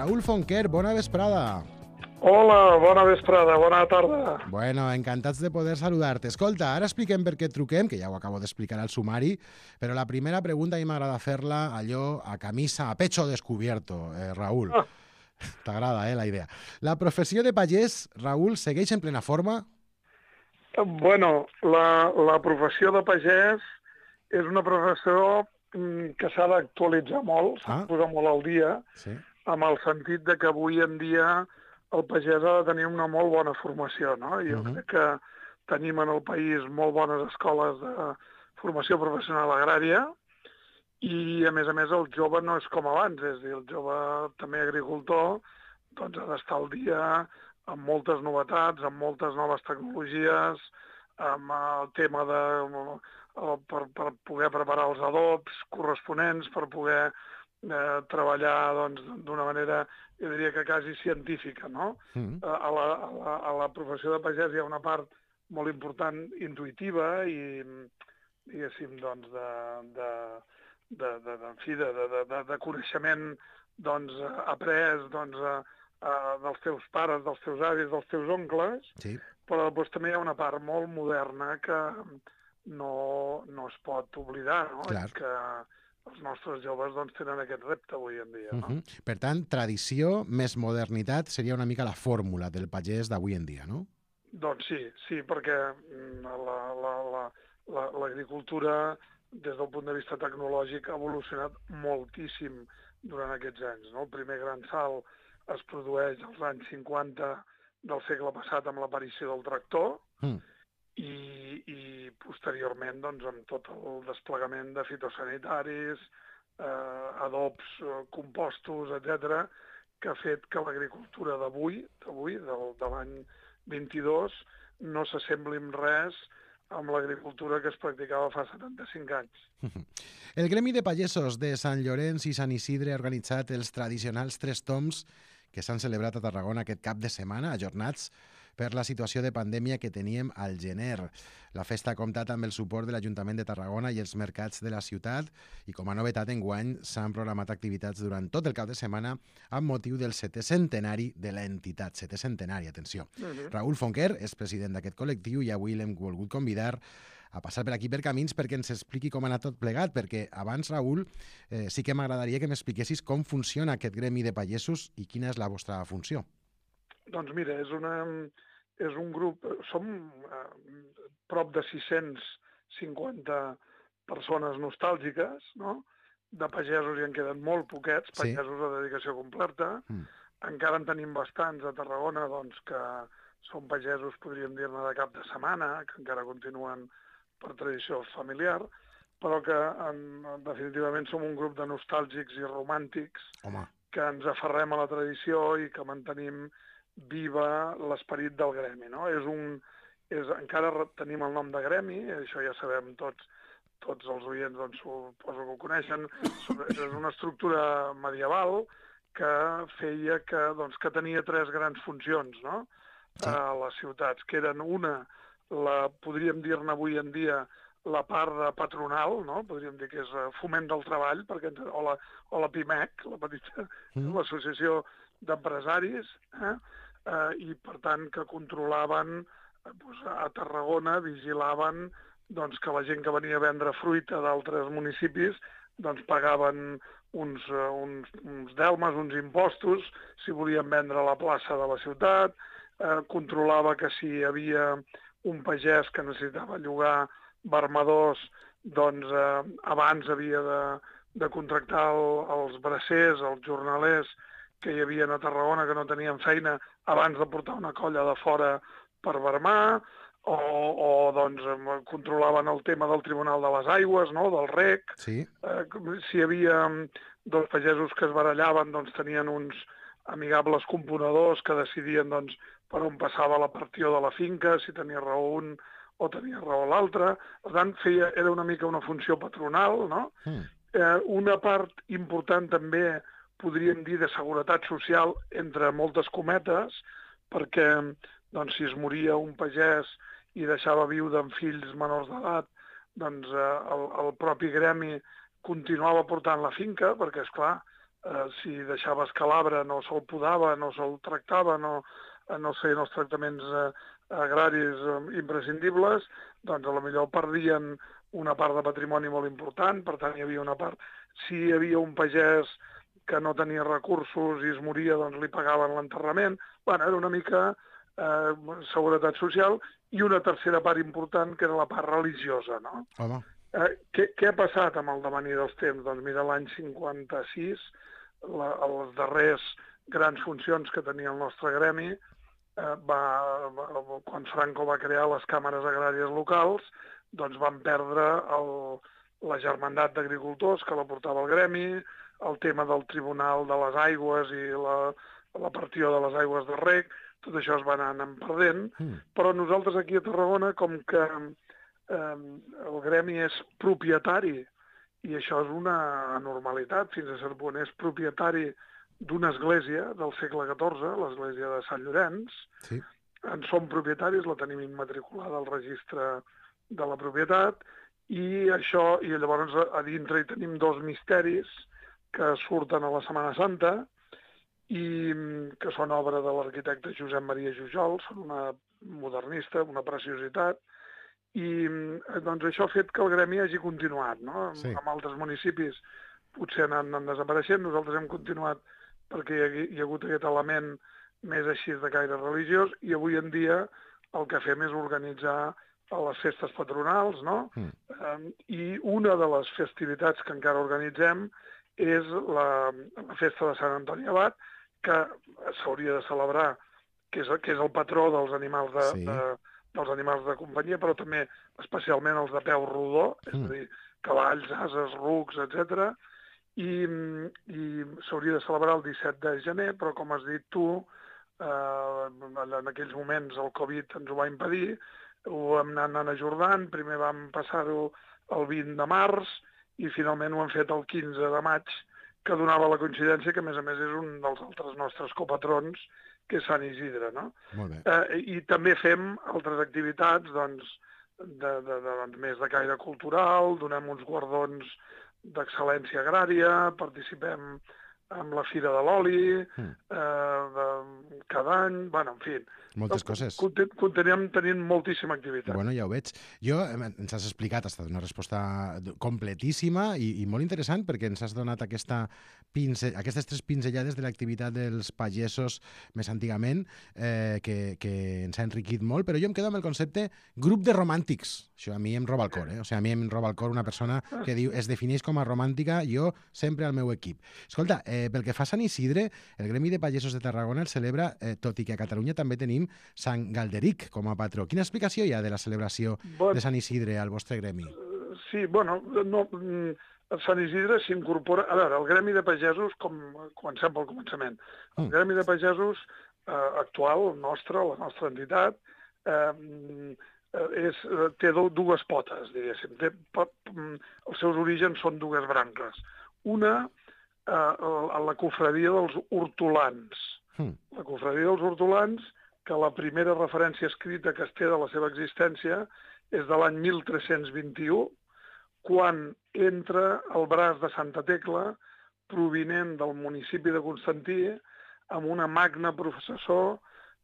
Raúl Fonquer, bona vesprada. Hola, bona vesprada, bona tarda. Bueno, encantats de poder saludar-te. Escolta, ara expliquem per què et truquem, que ja ho acabo d'explicar al sumari, però la primera pregunta a mi m'agrada fer-la allò a camisa, a pecho descubierto, Raúl. T'agrada, la idea. La professió de pagès, Raúl, segueix en plena forma? Bueno, la professió de pagès és una professió que s'ha d'actualitzar molt, s'ha de posar molt al dia, Sí. amb el sentit de que avui en dia el pagès ha de tenir una molt bona formació, no? Jo crec que tenim en el país molt bones escoles de formació professional agrària i, a més, el jove no és com abans, és a dir, el jove també agricultor doncs ha d'estar al dia amb moltes novetats, amb moltes noves tecnologies, amb el tema de per poder preparar els adobs corresponents, per poder treballar doncs, d'una manera, jo diria que quasi científica, no? A la professió de pagès hi ha una part molt important intuïtiva i, diguéssim, doncs, de coneixement doncs, après doncs, dels teus pares, dels teus avis, dels teus oncles, Sí. però després també hi ha una part molt moderna que no es pot oblidar, no? Clar. I que els nostres joves doncs, tenen aquest repte avui en dia. No? Per tant, tradició més modernitat seria una mica la fórmula del pagès d'avui en dia, no? Doncs sí, perquè l'agricultura, des del punt de vista tecnològic, ha evolucionat moltíssim durant aquests anys. No? El primer gran salt es produeix als anys 50 del segle passat amb l'aparició del tractor i posteriorment doncs, amb tot el desplegament de fitosanitaris, adobs, compostos, etc., que ha fet que l'agricultura d'avui, de l'any 22, no s'assembli en res amb l'agricultura que es practicava fa 75 anys. El Gremi de Pagesos de Sant Llorenç i Sant Isidre ha organitzat els tradicionals 3 toms que s'han celebrat a Tarragona aquest cap de setmana, ajornats per la situació de pandèmia que teníem al gener. La festa ha comptat amb el suport de l'Ajuntament de Tarragona i els mercats de la ciutat i com a novetat enguany s'han programat activitats durant tot el cap de setmana amb motiu del 7è centenari de l'entitat. 7è centenari, atenció. Raúl Fonquer és president d'aquest col·lectiu i avui l'hem volgut convidar a passar per aquí per Camins perquè ens expliqui com ha anat tot plegat, perquè abans, Raúl, sí que m'agradaria que m'expliquessis com funciona aquest gremi de pagesos i quina és la vostra funció. Doncs mira, és un grup, som prop de 650 persones nostàlgiques, no? De pagesos hi en queden molt poquets, pagesos de dedicació completa. Encara en tenim bastants a Tarragona, doncs, que són pagesos, podríem dir-ne, de cap de setmana, que encara continuen per tradició familiar, però que definitivament som un grup de nostàlgics i romàntics que ens aferrem a la tradició i que mantenim viva l'esperit del gremi. No? Encara tenim el nom de gremi, això ja sabem tots els oients, doncs, suposo que ho coneixen, és una estructura medieval que feia que tenia 3 grans funcions, no? A les ciutats, que eren una, podríem dir-ne avui en dia, la part de patronal, no? Podríem dir que és foment del treball, o la PIMEC, la petita, l'associació d'empresaris, i per tant que controlaven a Tarragona, vigilaven doncs, que la gent que venia a vendre fruita d'altres municipis doncs, pagaven uns delmes, uns impostos, si volien vendre a la plaça de la ciutat, controlava que si hi havia un pagès que necessitava llogar vermadors, doncs abans havia de contractar els bracers, els jornalers que hi havia a Tarragona que no tenien feina abans de portar una colla de fora per vermar, o doncs controlaven el tema del Tribunal de les Aigües, no? Del REC. Sí. Si hi havia dos pagesos que es barallaven, doncs tenien uns amigables componedors que decidien doncs, per on passava la partió de la finca, si tenia raó un o tenia raó l'altre. Per tant, era una mica una funció patronal, no? Una part important també, podríem dir, de seguretat social, entre moltes cometes, perquè doncs, si es moria un pagès i deixava viuda amb fills menors d'edat, doncs el propi gremi continuava portant la finca, perquè, esclar, si deixava escalabre no se'l podava, no se'l tractava, no es feien els tractaments agraris imprescindibles, doncs a lo millor perdien una part de patrimoni molt important, per tant hi havia una part... Si hi havia un pagès que no tenia recursos i es moria, doncs li pagaven l'enterrament. Bueno, era una mica seguretat social, i una tercera part important, que era la part religiosa, no? Home. Què ha passat amb el devenir dels temps? Doncs mira, l'any 56, les darreres grans funcions que tenia el nostre gremi, quan Franco va crear les càmeres agràries locals, doncs van perdre la germandat d'agricultors que la portava el gremi, el tema del Tribunal de les Aigües i la partió de les aigües de reg, tot això es va anant perdent, però nosaltres aquí a Tarragona, com que el gremi és propietari, i això és una anormalitat, fins a cert punt, és propietari d'una església del segle XIV, l'església de Sant Llorenç. Sí. En som propietaris, la tenim immatriculada al registre de la propietat, i llavors a dintre hi tenim dos misteris que surten a la Setmana Santa i que són obra de l'arquitecte Josep Maria Jujol, són una modernista, una preciositat, i doncs això ha fet que el gremi hagi continuat, no? Sí. En altres municipis potser han anat desapareixent, nosaltres hem continuat perquè hi ha hagut aquest element més així de caire religiós, i avui en dia el que fem és organitzar les festes patronals, no? I una de les festivitats que encara organitzem és la festa de Sant Antoni Abat, que s'hauria de celebrar, que és el patró dels animals dels animals de companyia, però també especialment els de peu rodó, és a dir, cavalls, ases, rucs, etc. I s'hauria de celebrar el 17 de gener, però com has dit tu, en aquells moments el Covid ens ho va impedir, ho hem anat ajornant, primer vam passar-ho el 20 de març i finalment ho hem fet el 15 de maig, que donava la coincidència que, a més, és un dels altres nostres copatrons, que és Sant Isidre, no? Molt bé. I també fem altres activitats, doncs, més de caire cultural, donem uns guardons d'excel·lència agrària, participem amb la Fira de l'Oli, cada any, bueno, en fi. Moltes coses. Continuem tenint moltíssima activitat. Bueno, ja ho veig. Ens has explicat, ha estat una resposta completíssima i molt interessant, perquè ens has donat aquestes 3 pinzellades de l'activitat dels pagesos més antigament, que ens ha enriquit molt, però jo em quedo amb el concepte grup de romàntics. Això a mi em roba el cor, O sigui, a mi em roba el cor una persona que diu es defineix com a romàntica, jo sempre al meu equip. Escolta, pel que fa a Sant Isidre, el Gremi de Pagesos de Tarragona el celebra, tot i que a Catalunya també tenim Sant Galderic com a patró. Quina explicació hi ha de la celebració de Sant Isidre al vostre gremi? Sí, bueno, Sant Isidre s'incorpora... A veure, el Gremi de Pagesos, comencem pel començament. El Gremi de Pagesos actual, la nostra entitat, té dues potes, diguéssim. Els seus orígens són dues branques. Una, la cofradia dels hortolans. La cofradia dels hortolans, que la primera referència escrita que es té de la seva existència és de l'any 1321, quan entra el braç de Santa Tecla, provinent del municipi de Constantí, amb una magna processó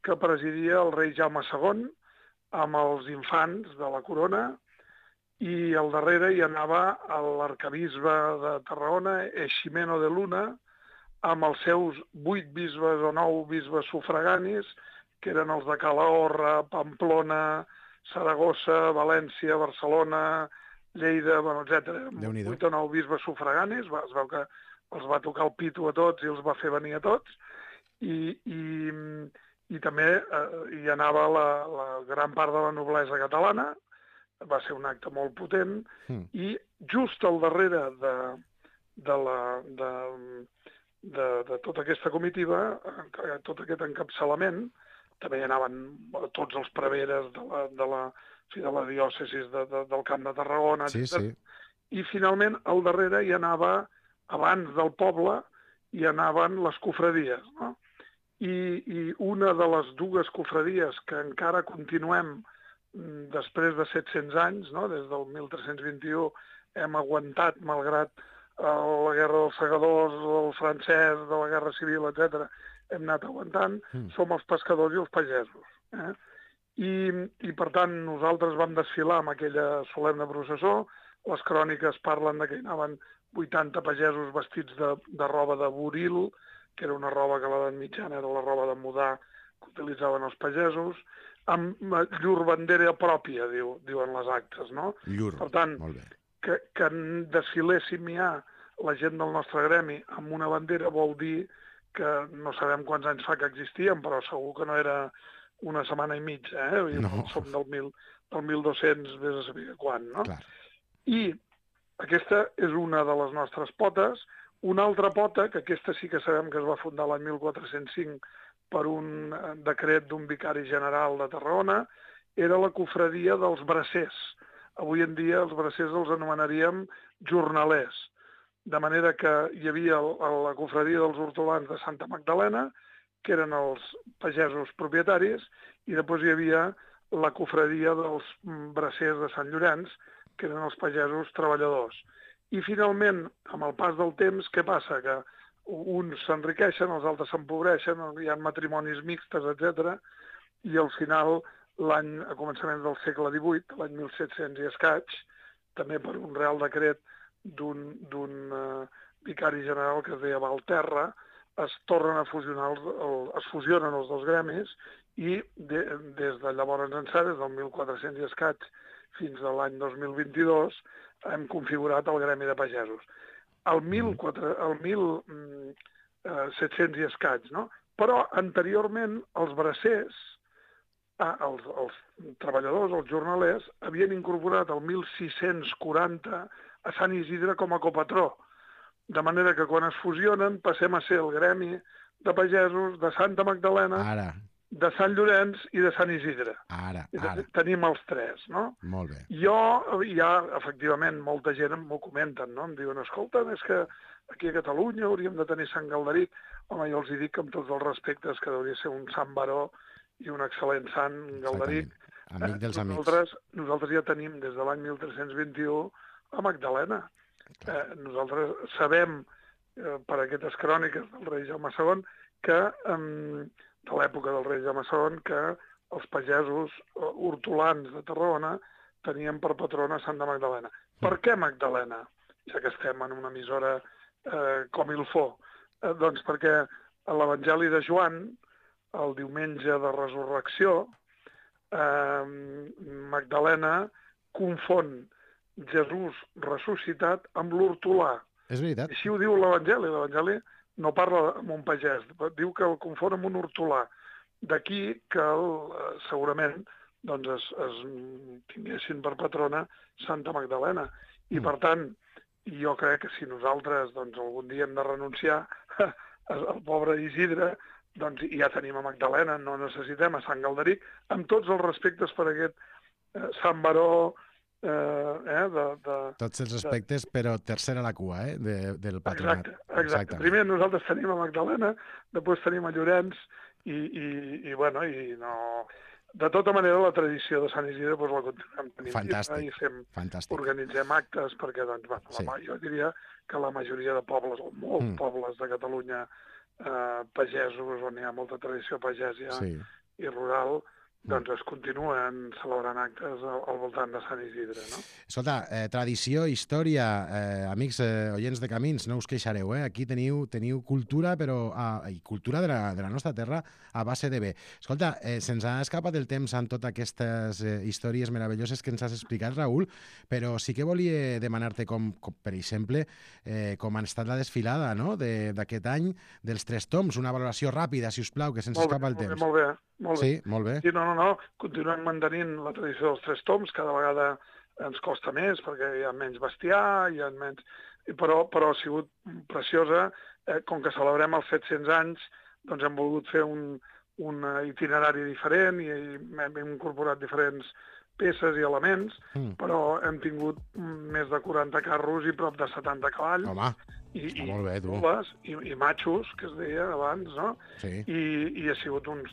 que presidia el rei Jaume II, amb els infants de la corona, i al darrere hi anava l'arcabisbe de Tarragona, Eiximeno de Luna, amb els seus 8 bisbes o 9 bisbes sufraganis, que eren els de Calahorra, Pamplona, Saragossa, València, Barcelona, Lleida, etc. 8 o 9 bisbes sufraganis, es veu que els va tocar el pito a tots i els va fer venir a tots, i també hi anava la gran part de la noblesa catalana, va ser un acte molt potent, i just al darrere de tota aquesta comitiva, tot aquest encapçalament, també hi anaven tots els preveres de la diòcesis del Camp de Tarragona, etc. I finalment al darrere hi anava, abans del poble, hi anaven les cofradies, no? I una de les dues cofradies que encara continuem després de 700 anys, no? Des del 1321 hem aguantat, malgrat la guerra dels segadors, del francès, de la guerra civil, etc. Hem anat aguantant, som els pescadors i els pagesos. I per tant, nosaltres vam desfilar amb aquella solemne processó. Les cròniques parlen de que hi anaven 80 pagesos vestits de roba de buril, que era una roba que a l'edat mitjana era la roba de mudar que utilitzaven els pagesos, amb llur bandera pròpia, diuen les actes, no? Llur, per tant, molt bé. Que desfiléssim ja la gent del nostre gremi amb una bandera vol dir que no sabem quants anys fa que existíem, però segur que no era una setmana i mitja, No. Som del 1200, vés a saber quan, no? Clar. I aquesta és una de les nostres potes. Una altra pota, que aquesta sí que sabem que es va fundar l'any 1405 per un decret d'un vicari general de Tarragona, era la cofradia dels bracers. Avui en dia els bracers els anomenaríem jornalers. De manera que hi havia la cofradia dels hortolans de Santa Magdalena, que eren els pagesos propietaris, i després hi havia la cofradia dels bracers de Sant Llorenç, que eren els pagesos treballadors. I finalment, amb el pas del temps, què passa? Que uns s'enriqueixen, els altres s'empobreixen, hi ha matrimonis mixtes, etc. I al final, a començaments del segle XVIII, l'any 1700 i escaig, també per un real decret d'un vicari general que es deia Valterra, es tornen a fusionar, es fusionen els dos gremis i des de llavors ençà, des del 1400 i escaig fins a l'any 2022, hem configurat el gremi de pagesos. El 1700 i escaig, no? Però anteriorment els bracers, els treballadors, els jornalers, havien incorporat el 1640 a Sant Isidre com a copatró. De manera que quan es fusionen passem a ser el gremi de pagesos de Santa Magdalena, de Sant Llorenç i de Sant Isidre. Ara. Tenim els tres, no? Molt bé. Efectivament, molta gent m'ho comenten, no? Em diuen, escolta, és que aquí a Catalunya hauríem de tenir Sant Galderic. Home, jo els dic amb tots els respectes que hauria de ser un sant baró i un excel·lent sant Galderic. Amic dels amics. Nosaltres ja tenim des de l'any 1321 a Magdalena. Nosaltres sabem, per aquestes cròniques del rei Jaume II, que de l'època del rei Jaume II, que els pagesos hortolans de Tarragona tenien per patrona Santa Magdalena. Per què Magdalena? Ja que estem en una emissora com Ilfó. Doncs perquè a l'Evangeli de Joan, el diumenge de Resurrecció, Magdalena confon Jesús ressuscitat amb l'hortolà. És veritat. Així ho diu l'Evangeli. L'Evangeli no parla amb un pagès, diu que el confon amb un hortolà. D'aquí que segurament es tinguessin per patrona Santa Magdalena. I per tant, jo crec que si nosaltres algun dia hem de renunciar al pobre Isidre, doncs ja tenim a Magdalena, no necessitem a Sant Galderic, amb tots els respectes per aquest Sant Baró, tots els respectes, però tercera a la cua, del patronat. Exacte. Primer nosaltres tenim a Magdalena, després tenim a Llorenç de tota manera la tradició de Sant Isidre la continuem tenint. Fantàstic. I organitzem actes perquè, jo diria que la majoria de pobles, o molts pobles de Catalunya, pagesos, on hi ha molta tradició pagèsia i rural, es continuen celebrant actes al voltant de Sant Isidre, no? Escolta, tradició, història, amics oients de Camins, no us queixareu, Aquí teniu cultura, però i cultura de la nostra terra a base de bé. Escolta, se'ns ha escapat el temps amb totes aquestes històries meravelloses que ens has explicat, Raül, però sí que volia demanar-te, com per exemple, com ha estat la desfilada, no?, d'aquest any dels 3 toms, una valoració ràpida, si us plau, que se'ns escapa el temps. Molt bé. Sí, molt bé. Sí, no, continuem mantenint la tradició dels 3 toms, cada vegada ens costa més perquè hi ha menys bestiar, hi ha menys... Però ha sigut preciosa. Com que celebrem els 700 anys, doncs hem volgut fer un itinerari diferent i hem incorporat diferents peces i elements, però hem tingut més de 40 carros i prop de 70 cavalls. Home, molt bé, tu. I matxos, que es deia abans, no? Sí. I ha sigut uns